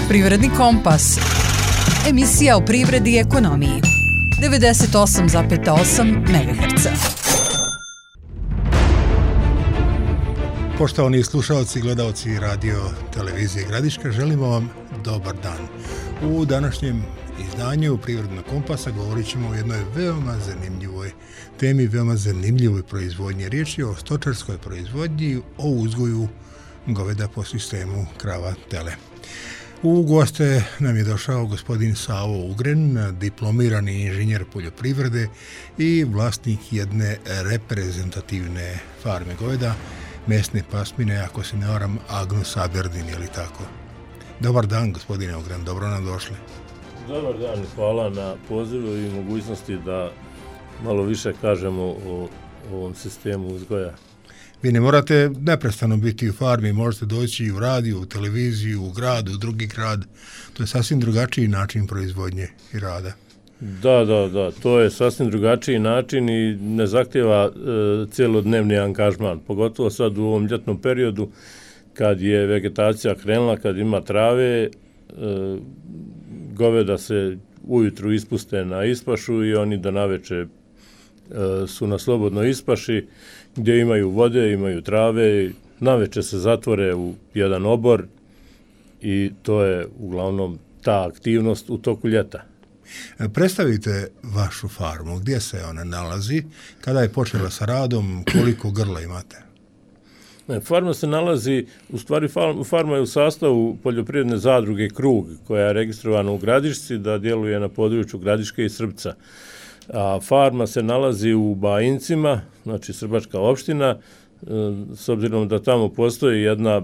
Privredni kompas. Emisija o privredi i ekonomiji. 98,8 MHz. Poštovani slušalci i gledalci radio televizije Gradiška, želimo vam dobar dan. U današnjem izdanju Privrednog kompasa govorit ćemo o jednoj veoma zanimljivoj temi, veoma zanimljivoj proizvodnji. Riječ je o stočarskoj proizvodnji, o uzgoju goveda po sistemu krava-tele. U goste nam je došao gospodin Savo Ugren, diplomirani inženjer poljoprivrede i vlasnik jedne reprezentativne farme goveda, mesne pasmine, ako se ne varam, Agnus Aberdeen, je li tako? Dobar dan, gospodine Ugren, dobro nam došli. Dobar dan, hvala na pozivu i mogućnosti da malo više kažemo o ovom sistemu uzgoja. Vi ne morate neprestano biti u farmi, možete doći i u radiju, u televiziju, u grad, u drugi grad. To je sasvim drugačiji način proizvodnje i rada. Da, to je sasvim drugačiji način i ne zahtjeva cijelodnevni angažman, pogotovo sad u ovom ljetnom periodu kad je vegetacija krenula, kad ima trave, goveda se ujutru ispuste na ispašu i oni do naveče su na slobodnoj ispaši gdje imaju vode, imaju trave, naveče se zatvore u jedan obor i to je uglavnom ta aktivnost u toku ljeta. Predstavite vašu farmu, gdje se ona nalazi, kada je počela sa radom, koliko grla imate? Farma se nalazi, u stvari farma je u sastavu poljoprivredne zadruge Krug, koja je registrovana u Gradišci, da djeluje na području Gradiške i Srbca. A farma se nalazi u Bajincima, znači Srbačka opština, s obzirom da tamo postoji jedna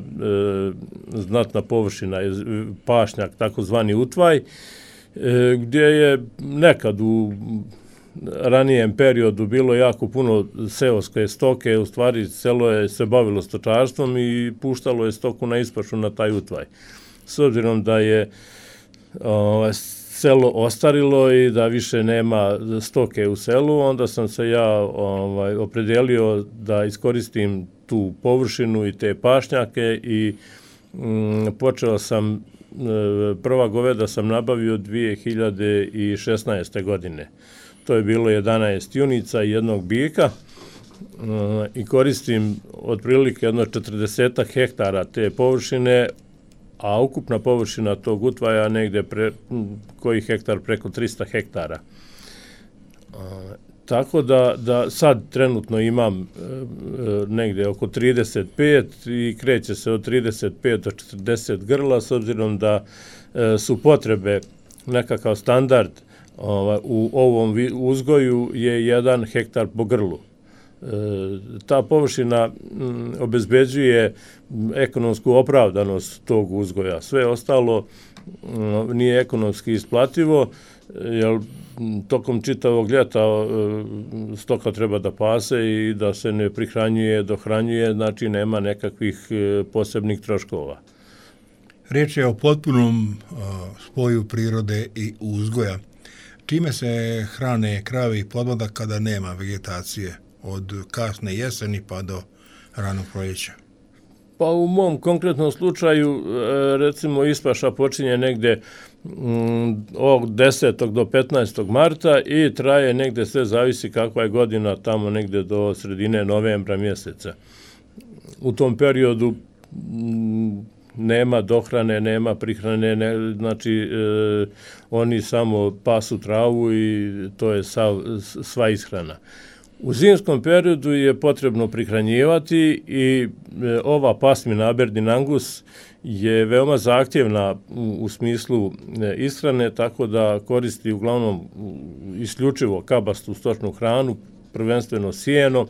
znatna površina, pašnjak, takozvani utvaj, gdje je nekad u ranijem periodu bilo jako puno seoske stoke, u stvari selo je se bavilo stočarstvom i puštalo je stoku na ispašu na taj utvaj. S obzirom da je selo ostarilo i da više nema stoke u selu, onda sam se ja opredelio da iskoristim tu površinu i te pašnjake i počeo sam, prva goveda sam nabavio 2016. godine. To je bilo 11 junica i jednog bika i koristim otprilike jedno 40 hektara te površine, a ukupna površina tog utvaja negdje koji hektar preko 300 hektara. Tako da sad trenutno imam negdje oko 35 i kreće se od 35 do 40 grla, s obzirom da su potrebe, nekakav standard u ovom uzgoju je 1 hektar po grlu. Ta površina obezbeđuje ekonomsku opravdanost tog uzgoja. Sve ostalo nije ekonomski isplativo, jer tokom čitavog ljeta stoka treba da pase i da se ne prihranjuje, dohranjuje, znači nema nekakvih posebnih troškova. Riječ je o potpunom spoju prirode i uzgoja. Čime se hrane krave i podmladak kada nema vegetacije od kasne jeseni pa do ranog proljeća? Pa u mom konkretnom slučaju, recimo, ispaša počinje negdje od 10. do 15. marta i traje negdje, sve zavisi kakva je godina, tamo negdje do sredine novembra mjeseca. U tom periodu nema dohrane, nema prihrane, znači oni samo pasu travu i to je sva ishrana. U zimskom periodu je potrebno prihranjivati i ova pasmina Aberdeen Angus je veoma zahtjevna u smislu ishrane, tako da koristi uglavnom isključivo kabastu stočnu hranu, prvenstveno sjeno,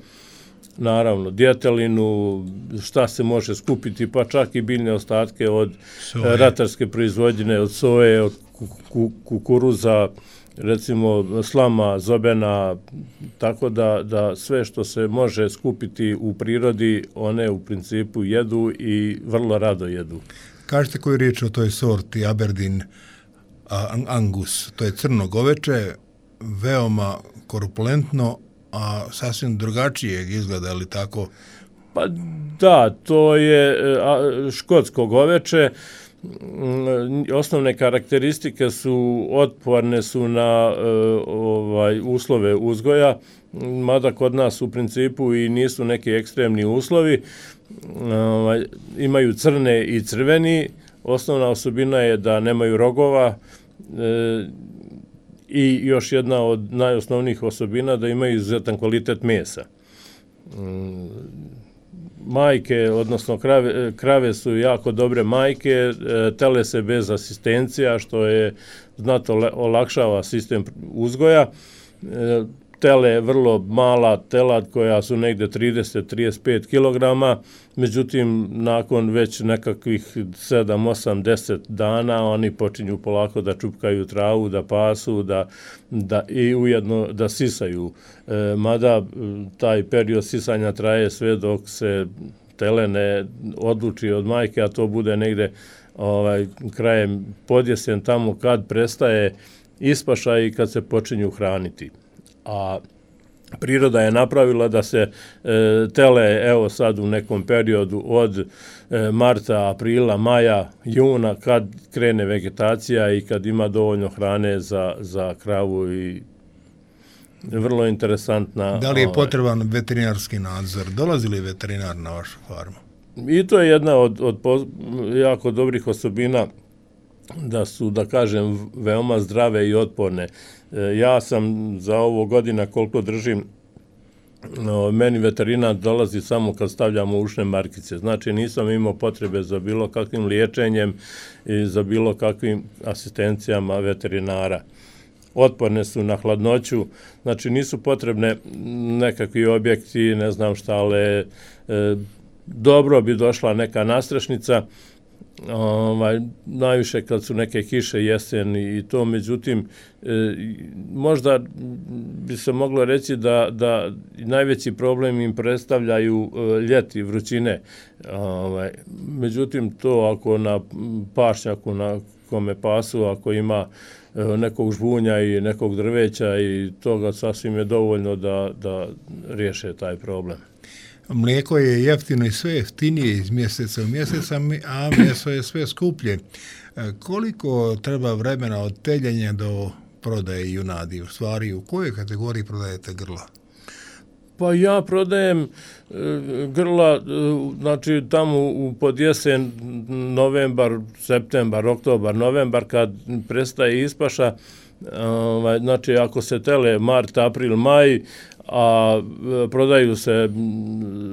naravno djetelinu, šta se može skupiti, pa čak i biljne ostatke od ratarske proizvodnje, od soje, od kukuruza, recimo slama, zobena, tako da sve što se može skupiti u prirodi, one u principu jedu i vrlo rado jedu. Kažete koju riječ o toj sorti Aberdeen Angus? To je crno goveče, veoma korpulentno, a sasvim drugačijeg izgleda, ali tako? Pa da, to je škotsko goveče. osnovne karakteristike su otporne su na uslove uzgoja, mada kod nas u principu i nisu neki ekstremni uslovi. Imaju crne i crveni. Osnovna osobina je da nemaju rogova i još jedna od najosnovnijih osobina da imaju izuzetan kvalitet mesa. Majke, odnosno krave su jako dobre majke, tele se bez asistencija, što je znatno olakšava sistem uzgoja. Tele je vrlo mala telad koja su negde 30-35 kg, međutim nakon već nekakvih 7, 8, 10 dana oni počinju polako da čupkaju travu, da pasu, da i ujedno da sisaju. Mada taj period sisanja traje sve dok se tele ne odluči od majke, a to bude negde krajem podjesen, tamo kad prestaje ispaša i kad se počinju hraniti. A priroda je napravila da se tele, evo sad u nekom periodu od marta, aprila, maja, juna, kad krene vegetacija i kad ima dovoljno hrane za kravu i vrlo interesantna. Da li je potreban veterinarski nadzor? Dolazi li veterinar na vašu farmu? I to je jedna od jako dobrih osobina da su, da kažem, veoma zdrave i otporne. Ja sam za ovo godina koliko držim, meni veterinar dolazi samo kad stavljamo ušne markice. Znači nisam imao potrebe za bilo kakvim liječenjem i za bilo kakvim asistencijama veterinara. Otporne su na hladnoću, znači nisu potrebne nekakvi objekti, ne znam šta, ali dobro bi došla neka nastrešnica, najviše kad su neke kiše jesen i to, međutim možda bi se moglo reći da najveći problem im predstavljaju ljeti, vrućine. Međutim to ako na pašnjaku na kome pasu, ako ima nekog žbunja i nekog drveća i toga, sasvim je dovoljno da riješe taj problem. Mlijeko je jeftino i sve jeftinije iz mjeseca u mjesec, a meso je sve skuplje. Koliko treba vremena od teljenja do prodaje junadi? U stvari, u kojoj kategoriji prodajete grla? Pa ja prodajem grla, znači tamo u podjesen, novembar, septembar, oktobar, novembar, kad prestaje ispaša, znači ako se tele mart, april, maj, a prodaju se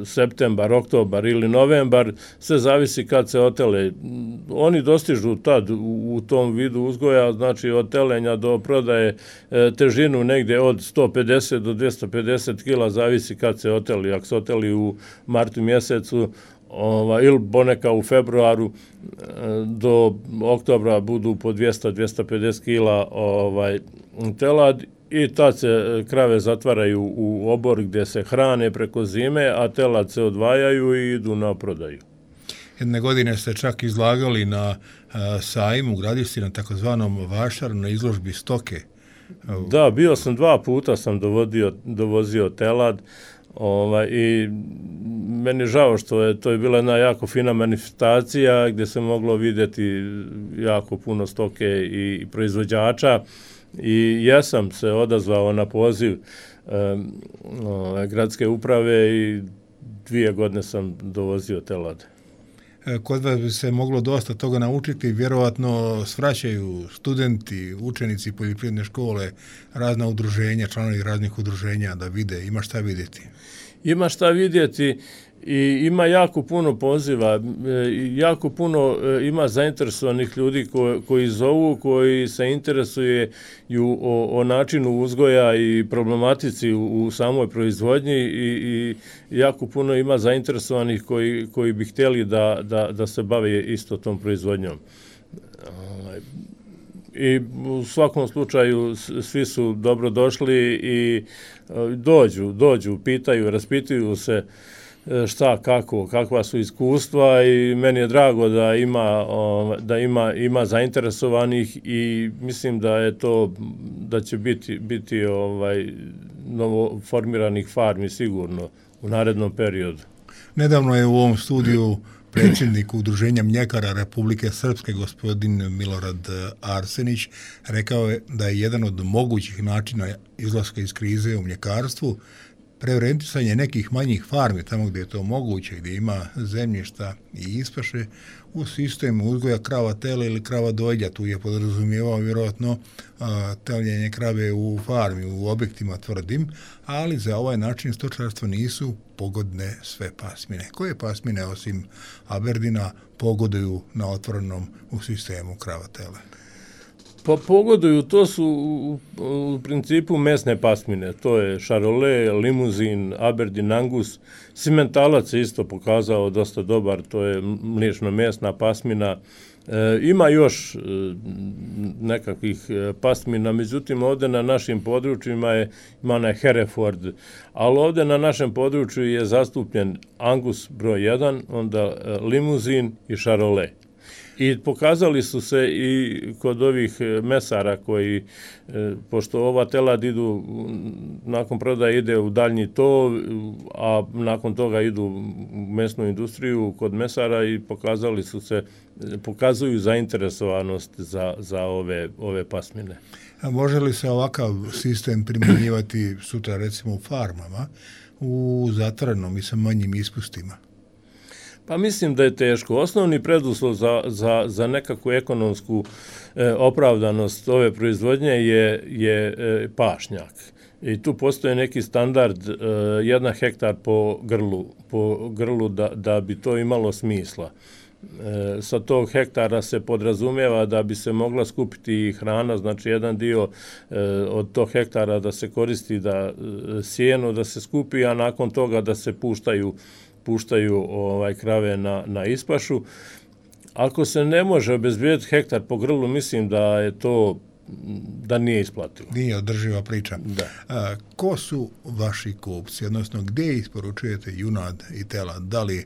septembar, oktobar ili novembar, sve zavisi kad se otele. Oni dostižu tad u tom vidu uzgoja, znači od telenja do prodaje težinu negde od 150 do 250 kg, zavisi kad se oteli. Ako se oteli u martu mjesecu ili poneka u februaru, do oktobra budu po 200-250 kg telad. I tad se krave zatvaraju u obor gdje se hrane preko zime, a telad se odvajaju i idu na prodaju. Jedne godine ste čak izlagali na sajmu u Gradišci, na takozvanom vašaru, na izložbi stoke. Da, bio sam 2 puta, sam dovozio telad i meni je žao što to je bila jedna jako fina manifestacija gdje se moglo vidjeti jako puno stoke i proizvođača. I ja sam se odazvao na poziv gradske uprave i 2 godine sam dovozio telad. Kod vas bi se moglo dosta toga naučiti, vjerovatno svraćaju studenti, učenici poljoprivredne škole, razna udruženja, članovi raznih udruženja da vide, ima šta vidjeti. Ima šta vidjeti i ima jako puno poziva, jako puno ima zainteresovanih ljudi koji zovu, koji se interesuju o načinu uzgoja i problematici u samoj proizvodnji i jako puno ima zainteresovanih koji bi htjeli da se bave isto tom proizvodnjom. I u svakom slučaju svi su dobro došli i dođu, pitaju, raspituju se šta, kako, kakva su iskustva i meni je drago da ima zainteresovanih i mislim da će biti novo formiranih farmi sigurno u narednom periodu. Nedavno je u ovom studiju predsjednik Udruženja mljekara Republike Srpske, gospodin Milorad Arsenić, rekao je da je jedan od mogućih načina izlaska iz krize u mljekarstvu preorijentisanje nekih manjih farmi, tamo gdje je to moguće, gdje ima zemljišta i ispaše, u sistemu uzgoja krava tele ili krava dojlja. Tu je podrazumijevao vjerojatno teljenje krave u farmi, u objektima tvrdim, ali za ovaj način stočarstva nisu pogodne sve pasmine. Koje pasmine osim Aberdina pogoduju na otvorenom u sistemu krava tele? Pa pogoduju, to su u principu mesne pasmine, to je Charolais, Limuzin, Aberdeen Angus, Simentalac je isto pokazao dosta dobar, to je mliječno-mesna pasmina. Ima još nekakvih pasmina, međutim ovdje na našim područjima ima onaj Hereford, ali ovdje na našem području je zastupljen Angus broj 1, onda Limuzin i Charolais. I pokazali su se i kod ovih mesara koji, pošto ova telad idu, nakon prodaje ide u daljnji tov, a nakon toga idu u mesnu industriju kod mesara i pokazuju zainteresovanost za ove pasmine. A može li se ovakav sistem primjenjivati sutra recimo u farmama, u zatvorenom i sa manjim ispustima? Pa mislim da je teško. Osnovni preduslov za nekakvu ekonomsku opravdanost ove proizvodnje je pašnjak. I tu postoji neki standard 1 hektar po grlu da bi to imalo smisla. Sa tog hektara se podrazumijeva da bi se mogla skupiti hrana, znači jedan dio od tog hektara da se koristi da sjeno da se skupi, a nakon toga da se puštaju krave na ispašu. Ako se ne može obezbijediti hektar po grlu, mislim da je to da nije isplativo. Nije održiva priča. Da. Ko su vaši kupci, odnosno gdje isporučujete junad i telad? Da li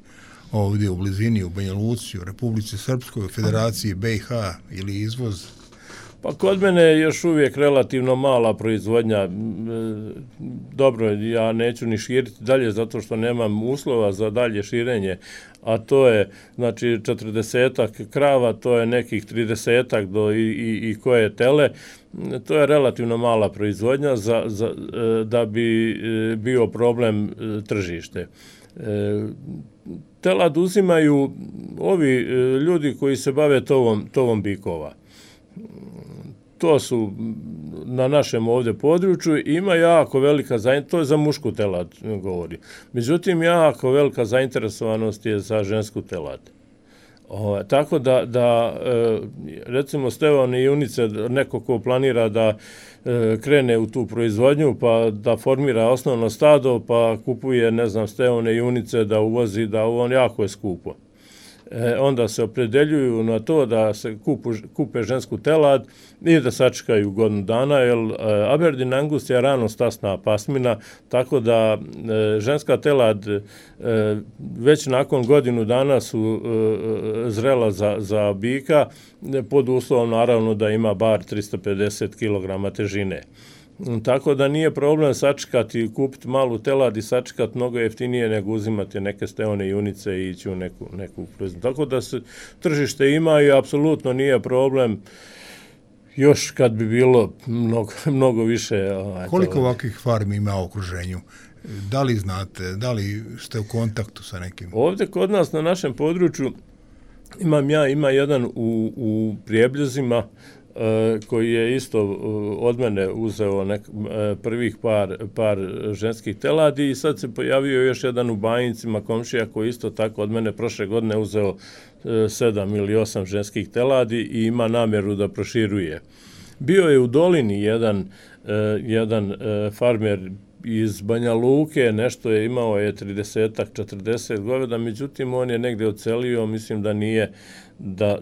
ovdje u blizini, u Banja Luci, u Republici Srpskoj, u Federaciji BiH ili izvoz? Pa kod mene je još uvijek relativno mala proizvodnja. Dobro, ja neću ni širiti dalje zato što nemam uslova za dalje širenje, a to je znači 40 krava, to je nekih 30 do i koje tele. To je relativno mala proizvodnja da bi bio problem tržište. Telad uzimaju ovi ljudi koji se bave tovom bikova. To su na našem ovdje području, ima jako velika zainteresovanost, to je za mušku telad govori. Međutim, jako velika zainteresovanost je za žensku telad. Tako da recimo steone junice, neko ko planira da krene u tu proizvodnju, pa da formira osnovno stado, pa kupuje, steone junice da uvozi, da on jako je skupo. Onda se opredeljuju na to da se kupe žensku telad i da sačekaju godinu dana, jer Aberdeen Angus je rano stasna pasmina, tako da ženska telad već nakon godinu dana su zrela za bika, pod uslovom naravno da ima bar 350 kg težine. Tako da nije problem sačekati i kupiti malu telad i sačekati mnogo jeftinije nego uzimati neke steone junice i ići u neku proizvodnju. Tako da se tržište ima i apsolutno nije problem još kad bi bilo mnogo više. Koliko ovakvih farmi ima u okruženju? Da li znate, da li ste u kontaktu sa nekim? Ovdje kod nas na našem području ima jedan u Prijeblezima koji je isto od mene uzeo prvih par ženskih teladi i sad se pojavio još jedan u Bajincima komšija koji isto tako od mene prošle godine uzeo 7 ili 8 ženskih teladi i ima namjeru da proširuje. Bio je u Dolini jedan farmer iz Banja Luke, nešto je imao 30-40 goveda, međutim on je negdje odselio, mislim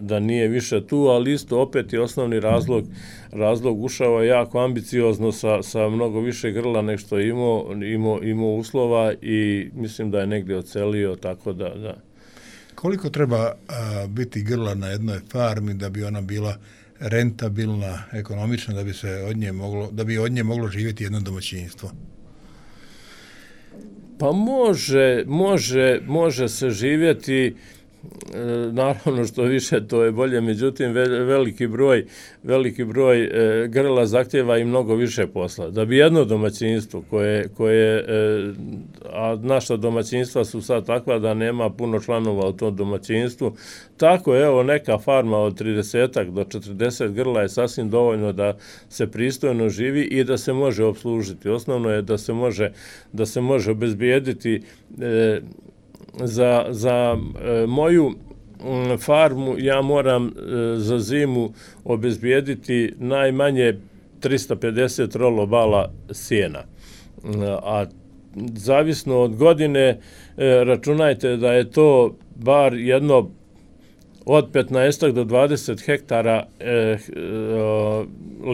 da nije više tu, ali isto opet je osnovni razlog ušao je jako ambiciozno sa mnogo više grla nego što je imao uslova i mislim da je negdje odselio, tako da. Koliko treba biti grla na jednoj farmi da bi ona bila rentabilna, ekonomična, da bi od nje moglo živjeti jedno domaćinstvo? Pa može se živjeti naravno što više to je bolje, međutim veliki broj grla zahtjeva i mnogo više posla. Da bi jedno domaćinstvo koje a naša domaćinstva su sad takva da nema puno članova u tom domaćinstvu, tako evo neka farma od 30 do 40 grla je sasvim dovoljno da se pristojno živi i da se može opslužiti. Osnovno je da se može obezbijediti za moju farmu ja moram za zimu obezbijediti najmanje 350 rolobala sjena. A zavisno od godine računajte da je to bar jedno od 15 do 20 hektara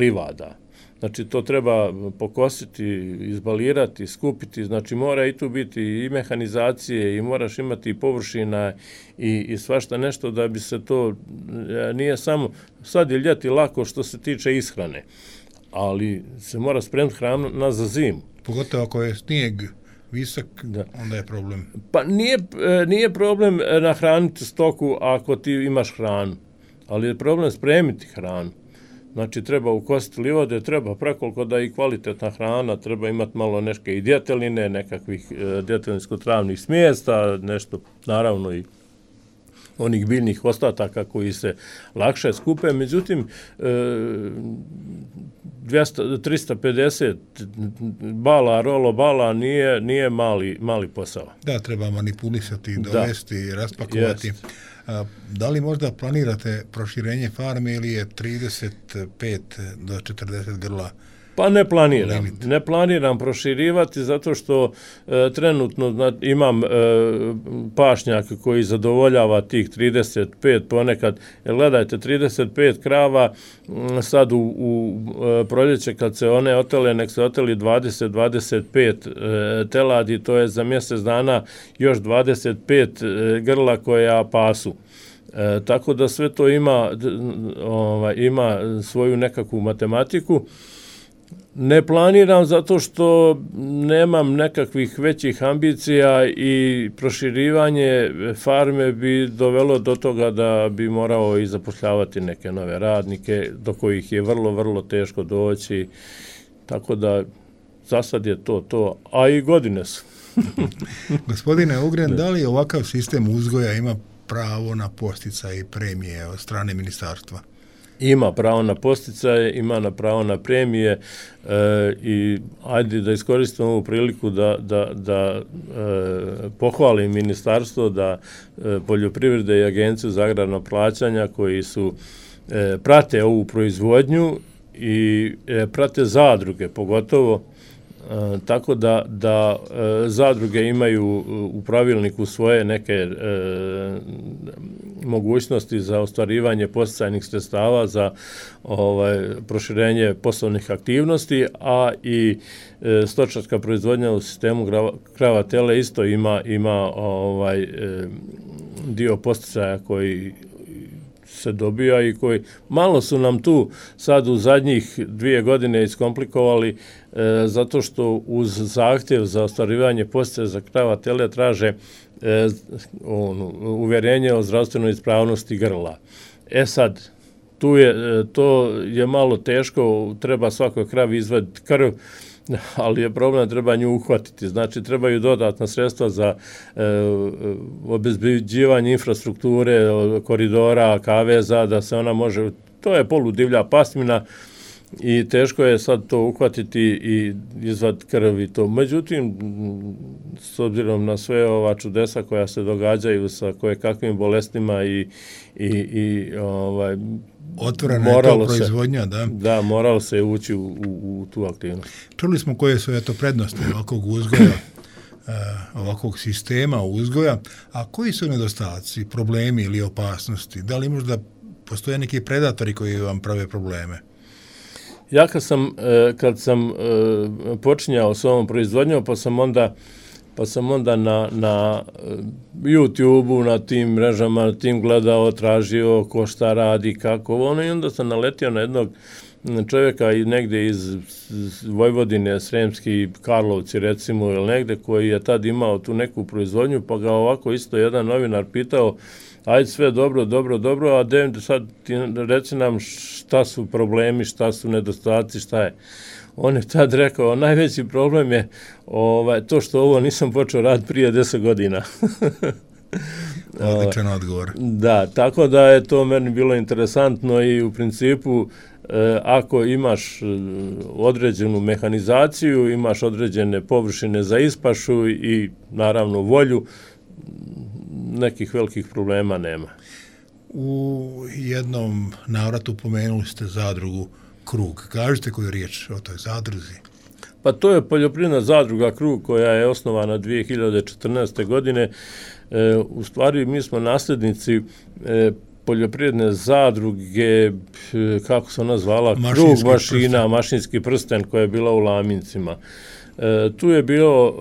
livada. Znači, to treba pokositi, izbalirati, skupiti, znači mora i tu biti i mehanizacije i moraš imati i površina i svašta nešto da bi se to, nije samo, sad je ljeti lako što se tiče ishrane, ali se mora spremiti hrana za zimu. Pogotovo ako je snijeg visok, onda je problem. Pa nije problem nahraniti stoku ako ti imaš hranu, ali je problem spremiti hranu. Znači, treba ukositi livade, treba prekoliko da i kvalitetna hrana, treba imati malo neke i djeteline, nekakvih djetelinsko-travnih smjesta, nešto, naravno i onih biljnih ostataka koji se lakše skupe. Međutim, 350 bala, rolobala nije mali posao. Da, treba manipulisati, dovesti, raspakovati. Da li možda planirate proširenje farme ili je 35 do 40 grla? Pa ne planiram proširivati zato što trenutno imam pašnjak koji zadovoljava tih 35 ponekad. Gledajte, 35 krava sad u proljeće kad se one otele, nek se oteli 20-25 teladi, to je za mjesec dana još 25 grla koja pasu. Tako da sve to ima svoju nekakvu matematiku. Ne planiram zato što nemam nekakvih većih ambicija i proširivanje farme bi dovelo do toga da bi morao i zapošljavati neke nove radnike do kojih je vrlo, vrlo teško doći. Tako da za sad je to, a i godine su. Gospodine Ugren, da li ovakav sistem uzgoja ima pravo na posticaje i premije od strane ministarstva? Ima pravo na posticaje, ima pravo na premije i ajde da iskoristimo ovu priliku da pohvalim ministarstvo, da poljoprivrede i agenciju za agrarna plaćanja koji su prate ovu proizvodnju i prate zadruge pogotovo, tako da zadruge imaju u pravilniku svoje neke mogućnosti za ostvarivanje posticajnih sredstava za proširenje poslovnih aktivnosti, a i stočarska proizvodnja u sistemu krava tele isto ima dio posticaja koji se dobija i koji malo su nam tu sad u zadnjih 2 godine iskomplikovali zato što uz zahtjev za ostvarivanje posticaja za krava tele traže uvjerenje o zdravstvenoj ispravnosti grla. Sad, to je malo teško, treba svakoj kravi izvaditi krv, ali je problem, treba nju uhvatiti. Znači, trebaju dodatna sredstva za obezbeđivanje infrastrukture, koridora, kaveza, da se ona može, to je poludivlja pasmina i teško je sad to uhvatiti i izvaditi krv i to. Međutim, s obzirom na sve ova čudesa koja se događaju sa kojekakvim bolestima i otvorena je to proizvodnja, da? Da, moralo se ući u tu aktivnost. Čuli smo koje su prednosti ovakvog uzgoja, ovakvog sistema uzgoja, a koji su nedostaci, problemi ili opasnosti? Da li možda postoje neki predatori koji vam prave probleme? Ja kad sam počinjao s ovom proizvodnjom, pa sam onda na YouTube-u, na tim mrežama, na tim gledao, tražio ko šta radi, kako i onda sam naletio na jednog čovjeka negdje iz Vojvodine, Sremski Karlovci recimo, ili negdje koji je tad imao tu neku proizvodnju, pa ga ovako isto jedan novinar pitao ajde sve dobro, a sad reci nam šta su problemi, šta su nedostaci, šta je. On je tad rekao, najveći problem je to što ovo nisam počeo raditi prije 10 godina. Odličan odgovor. Da, tako da je to meni bilo interesantno i u principu ako imaš određenu mehanizaciju, imaš određene površine za ispašu i naravno volju, nekih velikih problema nema. U jednom navratu pomenuli ste zadrugu Krug. Kažete koju riječ o toj zadruzi? Pa to je poljoprivredna zadruga Krug koja je osnovana 2014. godine. U stvari mi smo nasljednici poljoprivredne zadruge, kako se ona zvala, Krug mašina, mašinski prsten koja je bila u Lamincima. Tu je bio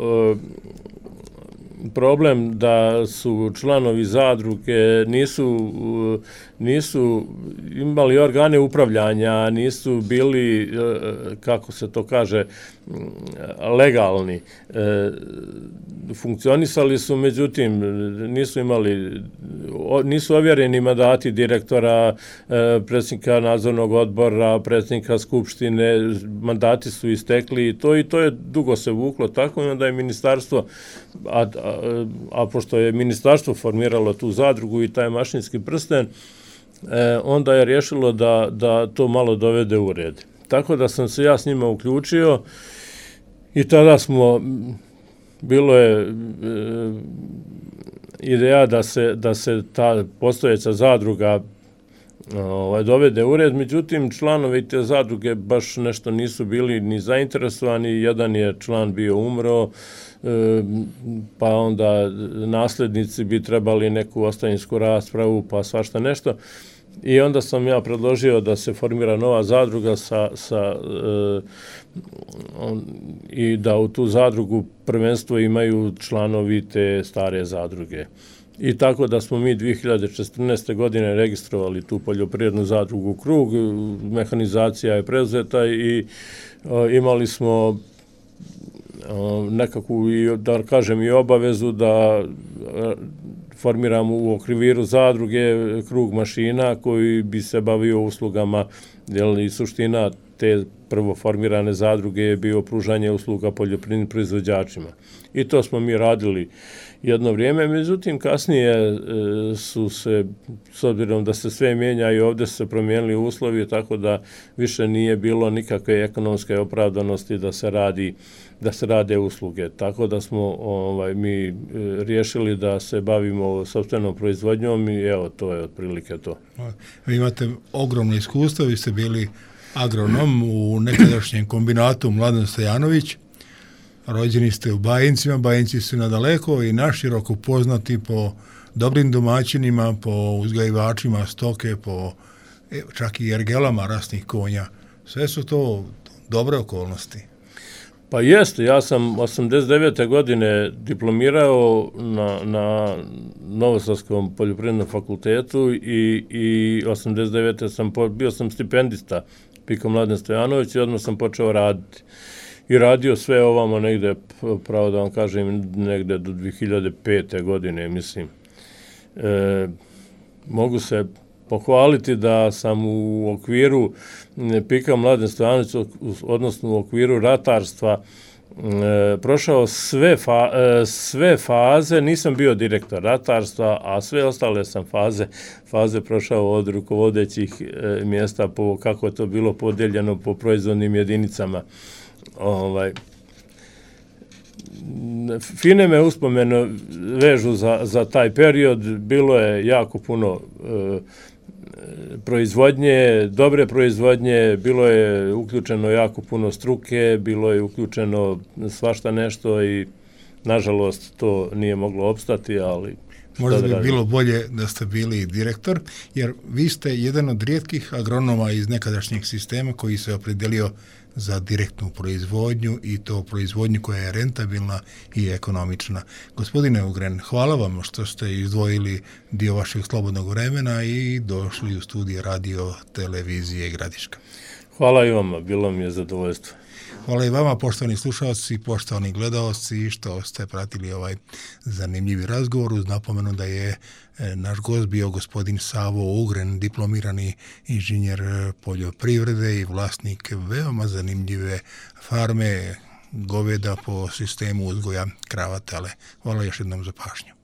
problem da su članovi zadruge nisu imali organe upravljanja, nisu bili, kako se to kaže, legalni. Funkcionisali su, međutim, nisu ovjereni mandati direktora, predsjednika nadzornog odbora, predsjednika skupštine, mandati su istekli i to je dugo se vuklo tako i onda je ministarstvo, a pošto je ministarstvo formiralo tu zadrugu i taj mašinski prsten, onda je rješilo da to malo dovede u red. Tako da sam se ja s njima uključio i tada bilo je ideja da se ta postojeća zadruga dovede u red, međutim članovi te zadruge baš nešto nisu bili ni zainteresovani, jedan je član bio umro, pa onda nasljednici bi trebali neku ostavinsku raspravu, pa svašta nešto. I onda sam ja predložio da se formira nova zadruga i da u tu zadrugu prvenstvo imaju članovi te stare zadruge. I tako da smo mi 2014. godine registrovali tu poljoprivrednu zadrugu Krug, mehanizacija je preuzeta i imali smo nekakvu, da kažem, i obavezu da formiramo u okviru zadruge Krug mašina koji bi se bavio uslugama, i suština te prvo formirane zadruge je bio pružanje usluga poljoprivrednim proizvođačima. I to smo mi radili jedno vrijeme, međutim kasnije su se, s obzirom da se sve mijenja i ovdje su se promijenili uslovi, tako da više nije bilo nikakve ekonomske opravdanosti da se rade usluge. Tako da smo mi riješili da se bavimo sopstvenom proizvodnjom i evo, to je otprilike to. Vi imate ogromno iskustvo, vi ste bili agronom u nekadašnjem kombinatu Mladen Stojanović, rođeni ste u Bajincima, Bajinci su nadaleko i naširoko poznati po dobrim domaćinima, po uzgajivačima stoke, po čak i ergelama rasnih konja. Sve su to dobre okolnosti. Pa jeste, ja sam 89. godine diplomirao na Novosadskom poljoprivrednom fakultetu i 89. bio sam stipendista Piko Mladen Stojanović i odmah sam počeo raditi. I radio sve ovamo negde, pravo da vam kažem, negde do 2005. godine, mislim. Mogu se pohvaliti da sam u okviru Pika Mladen Stojanović, odnosno u okviru ratarstva, prošao sve faze, nisam bio direktor ratarstva, a sve ostale sam faze prošao od rukovodećih mjesta, kako je to bilo podijeljeno po proizvodnim jedinicama. Fine me uspomene vežu za taj period, bilo je jako puno proizvodnje, dobre proizvodnje, bilo je uključeno jako puno struke, bilo je uključeno svašta nešto i nažalost to nije moglo opstati, ali možda bi bilo bolje da ste bili direktor, jer vi ste jedan od rijetkih agronoma iz nekadašnjeg sistema koji se opredelio za direktnu proizvodnju i to proizvodnju koja je rentabilna i ekonomična. Gospodine Ugren, hvala vam što ste izdvojili dio vašeg slobodnog vremena i došli u studije radio televizije Gradiška. Hvala i vama, bilo mi je zadovoljstvo. Hvala i vama, poštovani slušalci, poštovani gledaoci, što ste pratili ovaj zanimljivi razgovor, uz napomenu da je naš gost bio gospodin Savo Ugren, diplomirani inženjer poljoprivrede i vlasnik veoma zanimljive farme goveda po sistemu uzgoja krava tele. Hvala još jednom za pažnju.